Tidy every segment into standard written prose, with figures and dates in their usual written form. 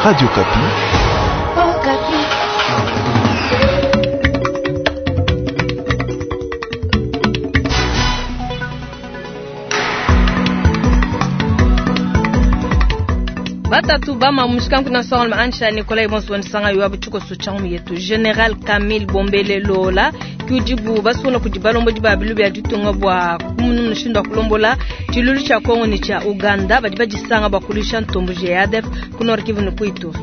Radio Okapi. Oh, Batatu bama mushikanku na songo maansha Nikolai Bonso nsanga yuabu chuko suchangu yetu General Camille Bombele Lola kujibu basuna kujibalombo jibabilu bya ditunga bwa kumunu mushindu wa kulombola chilulu cha Kongo ni cha Uganda badi bajisanga bakulisha ntombo JADF ku Nord Kivu ne ku Ituri.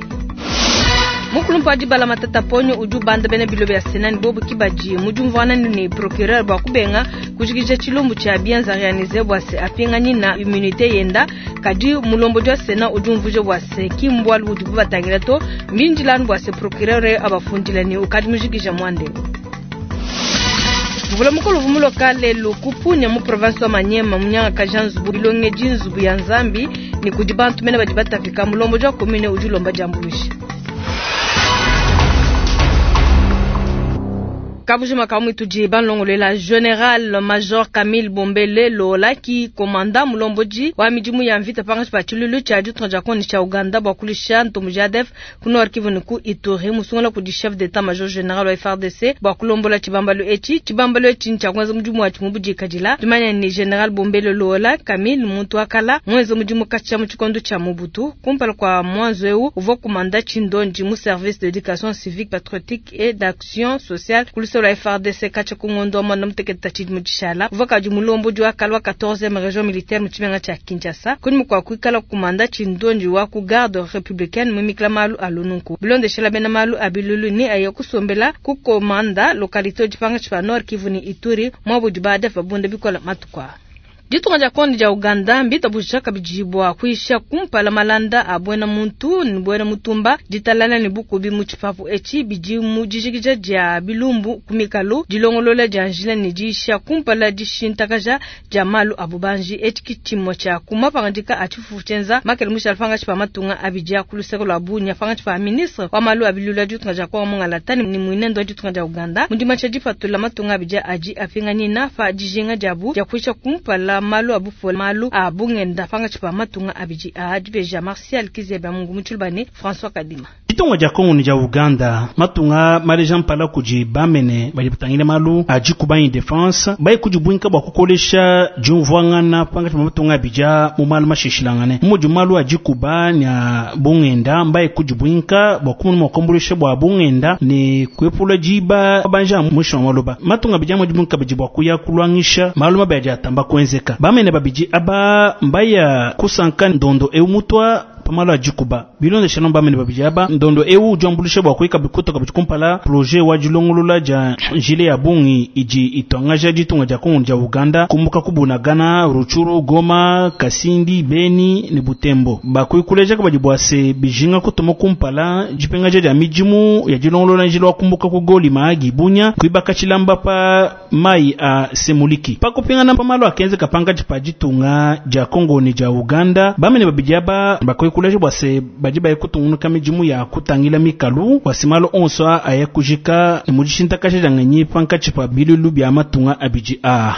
Mukulumpa dibala Matata Ponyo udi ubanda bena bilo bya Sena ni bobu kibadi mujumvana ni procureur bwa kubenga kujikija chilumbu cha bianza réaliser bwa se apingani na immunité yenda kadi mulombo jwa Sena udi umvuje bwa se kimbwa udi bubatangila to minjilanu bwa se procureur abafundila ni ukadi mujikija mwande. Mvula mukulu vumulo kale lukupunya mu province wa Manyema munyanga kajanzubu bilonge jinzubu ya Nzambi ni kudi bantu mena badi batafika mulombo jwa commune udi ulomba jambulushi. Kabujima kamwitu banlongolela General Major Camille Bombele Lola ki komanda mulomboji wa midimu ya mvita pangashi pa chilulu cha ditunga dia Kongo cha Uganda bwa kulisha ntombo JADF ku Nord Kivu ni ku Ituri musungula kudi chef d'état major général wa FARDC bwa kulombola chibambalu echi chibambalu echi ncha kwanza mudimu wa chimubu kadila tumanya ni General Bombele Lola Camille muntu akala mwenza mudimu kacha mu chikondo cha Mobutu kumpala kwa mwanzo eu uvua kumanda chindonji mu service d'éducation civique patriotique et d'action sociale kulisa la FARDC kacha kungondo mwana muteketa chidi muchishala uvaka mulombo jwa kalwa 14e région militaire muchimenga cha Kinshasa kuni mukwa kuikala kumanda chindonji wa ku garde républicaine mumikla malu alununku bilonde shela bena malu abilulu ni aye kusombela ku komanda localité jipanga chipa Nord Kivu ni Ituri mwabu jibade babunda bikola matukwa. Ditunga dia Kongo dia Uganda mbita bushaka bijibwa kuisha kumpala malanda abwena muntu ni bwena mutumba ditalala ni bukubi mu chipapu echi biji mu dijikija dia bilumbu kumikalu dilongolola dia njila ni disha kumpala dishintakaja dia malu abubanji echi kichimo cha kumapangandika achifufu chenza makele mushalfanga chipa matunga abijia kuluseko lwa bunya fanga chipa ministre wa malu abilula ditunga dia Kongo mungalatani ni mwinendo wa ditunga dia Uganda mundima cha dipatula matunga abijia aji apingani na fa dijinga diabu dia kuisha kumpala malu abufu malu abungenda panga chipa matunga abiji ajibeja Martial Kizeba Mungu mutulbane François Kadima. Ditunga dia Kongo ni dia Uganda matunga maleja mpala kudi bamene badi batangile malu adi kubanyi defense bayi kudi bwa kukolesha diumvuangana panga chipa matunga abija mu malu mashishilangane mudi malu adi kuba nya bungenda mbayi kudi bwinka bwa kumunu mwakombolesha bwa bungenda ni kuepula diba banja mwisho wa maloba matunga abija mudi bwinka bidi bwa kuya kulwangisha malu mabe adi atamba kuenzeka bamene babidi aba mbaya kusanka ndondo eu mutwa pamalo ajikuba bilondeshana bamene babidi aba ndondo eu ujambulisha bwa kuika bikuta kabidi kumpala projet wa dilongolola dia njile ya bungi idi itwangaja ditunga dia Kongo dia Uganda kumbuka kubunagana Rutshuru Goma Kasindi Beni ni Butembo bakuikuleja kabadi bwa se bijinga kutuma kumpala dipengaja dia midimu ya dilongolola njile wa kumbuka ku Goli Mahagi Bunya kuibaka tshilamba pa mai a Semuliki pakupingana pamalo akenze kapanga pa ditunga dia Kongo ni dia Uganda bamene babidi aba bakuikuleja bwa se badi baye kutungunuka midimu ya kutangila mikalu wasimalo onso aye kujika mudishintakasha janganyi pankatshi pa bilulu bya matunga abidi a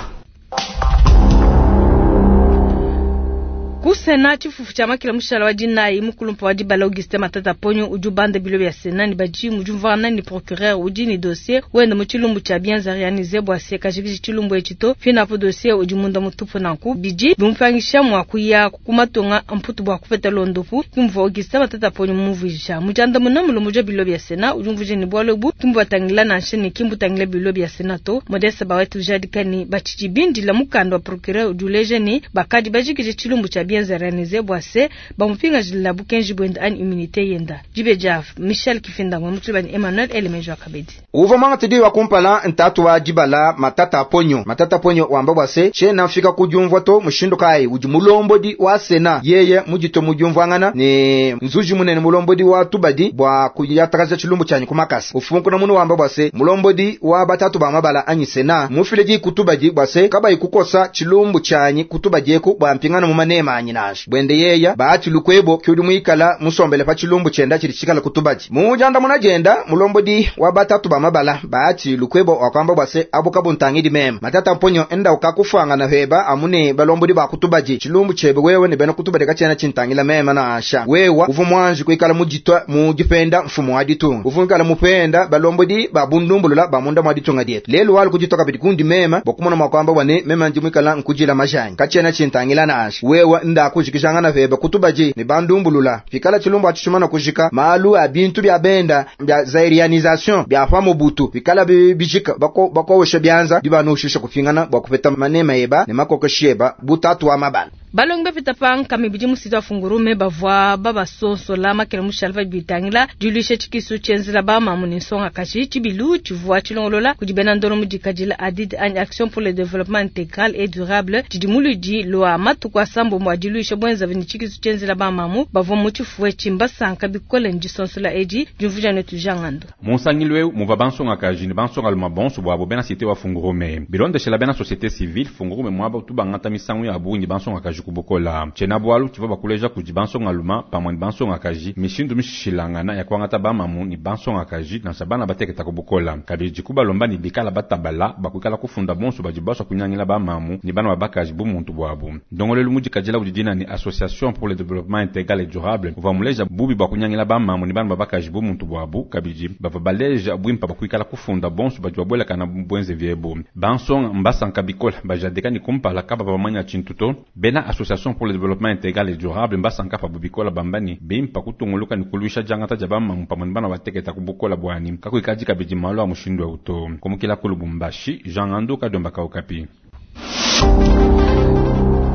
Ku Sena chifufu cha makila mushala wa dinayi mukulumpa wa dibala Augustin Matata Ponyo udi ubanda bilo bya Sena ni badi mujumvana ni procureur udi ni dossier wenda mu tshilumbu cha bianza réalisé bwa se kajikiji tshilumbu echito finapo dossier udi munda mutupu nanku bidi bimupangisha mwa kuya kumatunga mputu bwa kupeta londopu kimva Augustin Matata Ponyo mumvuisha mujanda muna mulumbu jwa bilo bya Sena udi umvuje ni bwalo bu kimbu batangila na nshene kimbu tangila bilo bya Sena to Modeste bawetu jadikani bachiji bindila mukanda wa procureur udi uleje ni bakadi bajikije tshilumbu cha bianza réalisé bwa se bamupinga jila bukenji bwenda ani immunité yenda jibeja Michel Kifinda ngwe mutulibani Emmanuel Elemejo akabedi uva mwanga tidi wa kumpala ntatu wa dibala Matata Ponyo Matata Ponyo wamba bwase shena mfika kudiumvwa to mushindu kai udi mulombodi wa Sena yeye mujito mudiumvwangana ni nzuji munene mulombodi wa tubadi bwa kuyatakaza tshilumbu chanyi kumakasa ufunkuna munu wamba bwase mulombodi wa batatu ba mabala anyi Sena mufile di kutubadi bwase kabayi kukosa tshilumbu chanyi kutubadi eku bwa mpingana mu manema. wanyi nansha. Buende yeya Bahati Lukwebo ke udi muikala musombele pa tshilumbu tshienda tshidi tshikala ku tubadi. Mu diandamuna dienda, mulombodi wa batatu ba mabala Bahati Lukwebo wakuamba bua se abu kabuntangidi meme. Matata Mponyo enda ukakufuangana peba amu ne balombodi ba ku tubadi. Tshilumbu tshiebe wewe ne bena ku tubadi katshiena tshintangila meme nansha. Wewa uvua muanji kuikala muditua mu dipenda mfumu wa ditunga. Uvua muikala mupenda balombodi ba bundumbulula ba munda mua ditunga dietu. Lelu walu kuditua kabidi kundi meme bua kumona mua kuamba bua ne meme ndi muikala nkudila majanyi. Katshiena tshintangila nansha. Wewa nda kujikijangana peba ku tubadi ne bandumbulula. Pikala tshilumbu atshi tshimana kujika, malu a bintu bia benda bia zairianisation bia pa Mobutu pikala bijika, bakowesha bianza dibanushisha kupingana bua kupeta manema eba ne makokeshi eba bu tatu wa mabala. Balongi bapita pa nkama ibidi mu site wa Fungurume bavua babasonsola makele mushala pa bitangila diluisha tshikisu tshienzela ba mamu ne nsongakaji. Tshibilu tshivua tshilongolola kudi bena ndolo mu dikadila ADID anyi Action pour le développement intégral et durable tshidi mu luidi lua matuku asambombo a diluisha buenzavi ne tshikisu tshienzela ba mamu bavua mu tshifuwe tshimbasanka bikole ne disonsola edi diumvuija netu Jean Ngando. Mu nsangilu eu muvua bansongakaji ne bansongalume bonso buabo bena cité wa Fungurume. Bilondeshela bena société civile Fungurume muaba utu bangata misangu ya bungi bansongakaji ku bukola. Tshiena bualu tshivua bakuleja kudi bansongalume pamue ne bansongakaji mishindu mishilangana ya kuangata bamamu ne bansongakaji nansha bana bateketa ku bukola. Kabidi kubalomba ne bikala batabala bakuikala kufunda bonso badi basua kunyangila bamamu ne bana babakaji bu muntu buabu. Ndongolelu mudikadila udi dina ne Association pour le développement intégral et durable uvua muleja bubi bua kunyangila bamamu ne bana babakaji bu muntu buabu. Kabidi bavua baleja buimpa bakuikala kufunda bonso badi babuelakana buenze viebu. Bansonga mbasanka bikola bajadika ne kumpala kaba bamanya tshintu to. Bena Association pour le développement intégral et durable mbasanka pa bikola bamba ne bimpa kutunguluka ne kuluisha diangata dia bamamu pamue ne bana bateketa ku bukola buani kakuikadi kabidi malu a mushindu eu to. Kumukila ku Lubumbashi, Jean Ngando Kadomba Kaukapi.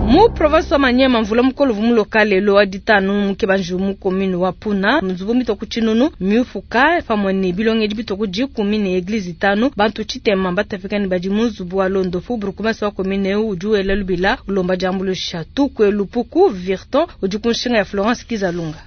Mu province wa Maniema mvula mukolo vumuloka lelo wa ditanu mukebanju mu commune wa Puna nzubu mitoku tshinunu miufuka pamue ne bilongedi bitoku dikumi ne eglise itanu bantu tshitema batapika ne badi mu nzubu wa londopu burkumasi wa commune eu udi wela lubila ulomba diambuluisha tukwe lupuku Virton udi ku nshinga ya Florence Kizalunga.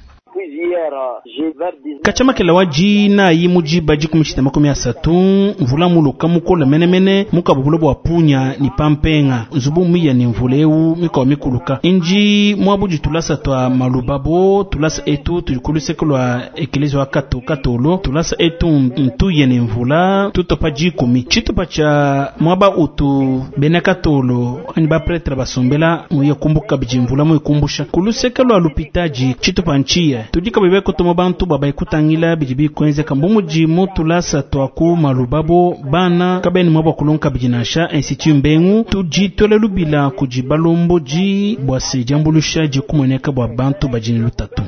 Kachamakela wa jina yi mujiba dikumi tshitema makumi asatu mvula muluka mukola menemene mukabubulo bua punya ni pampenga nzubu miya ni mvula eu mikawa mikuluka inji mwabudi tulasa twa malubabo tulasa etu tuli kuluseke lwa ekelezi wa kato katolo tulasa etu ntuye ni mvula tutopa dikumi tshitupa tsha mwaba utu bena katolo ani bapretre basombela muye kumbuka bidi mvula muyikumbusha kuluseke lwa lupitaji tshitupa ntshiya tudika bebe kutuma bantu baba ikutangila bidi bikwenzeka mbumudi mutulasa twaku malubabo bana kabeni mwaba kulonka bidi nansha institut mbengu tudi lubila kudi balomboji bua se diambulusha dikumoneka bua bantu badini lutatu.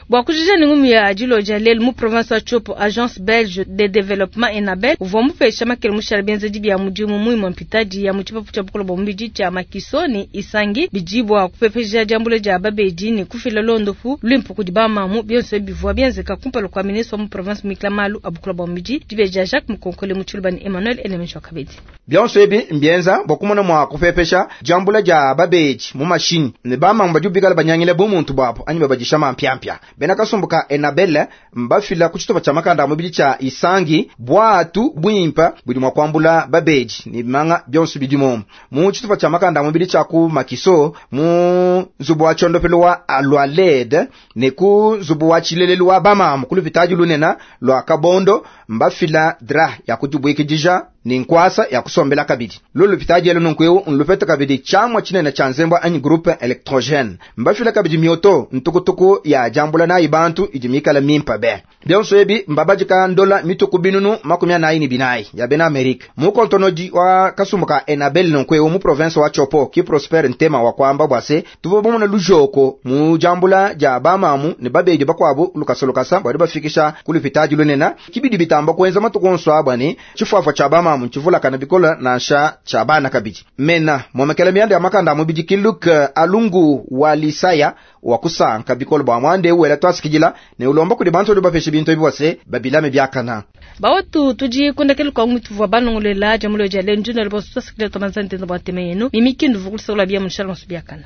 Bua kujija ni ngumi ya diloja lelu mu province wa Tshopo, agence belge de développement Enabel uvua mupesha makele mushala bienzedi bia mudimu muimue mpitadi ya mu tshipapu tshia bukolo bua mubidi tshia Makiso ne Isangi bidi bua kupepeja diambula dia babedi ne kufila londopu luimpe kudi bamamu bionso bivua bienzeka kumpala kua ministre wa mu province mikla malu a bukolo bua mubidi dibeja Jacques Mukonkole mu Tshiluba ne Emmanuel Elemesho Kabedi. Bionso ebi mbienza bua kumona mua kupepesha diambula dia babedi mu mashini ne bamamu badi bikala banyangile bumuntu buabu anyi babadisha mampiampia. Bena kasumbuka Enabel mbafila ku tshitupa tshia makanda a mubidi tshia Isangi bwatu bwimpa budi mua kuambula babedi ne bimanga bionso bidi mu tshitupa tshia makanda a mubidi tshia ku Makiso mu nzubu wa tshondopelo wa Alwaled ne ku nzubu wa tshilelelu wa bamamu ku lupitadi lunena lwa Kabondo mbafila dra ya kudibwikidija ni nkwasa ya kusombela kabidi lulu lupitadi elu nunku eu nlupeta kabidi tshiamua tshinene tshia nzembwa anyi groupe électrogène mbafila kabidi mioto ntukutuku ya diambula nayi bantu idi mikala mimpa be bionso ebi mbabadika ndola mituku binunu 44 ya bena Amerika mukontonodi wa kasumbuka Enabel nunku eu mu province wa Tshopo ki Prosper Ntema wa kwamba bwase tuvo bomona lujoko mu diambula dia bamamu ne babedi bakuabu lukasolokasa bwadi bafikisha ku lupitadi lunena kibidi bitamba kuenza matuku onso abwani tshifuafua tshia bamamu tshivulakana bikola nansha tshia bana kabidi mena momekela mianda ya makanda mubidi kiluk alungu wa lisaya wa kusanka bikola bwa mwande wela twasikijila ne ulomba kudi bantu bapeshe bintu ebi bwase babilame byakana bawatu tudi kundakela kwa mwitu vwa banongolela jamulo ja lenju na liboso twasikijila tomanzante na bwa teme yenu mimikindu vukulisakula bia munshala nsu byakana.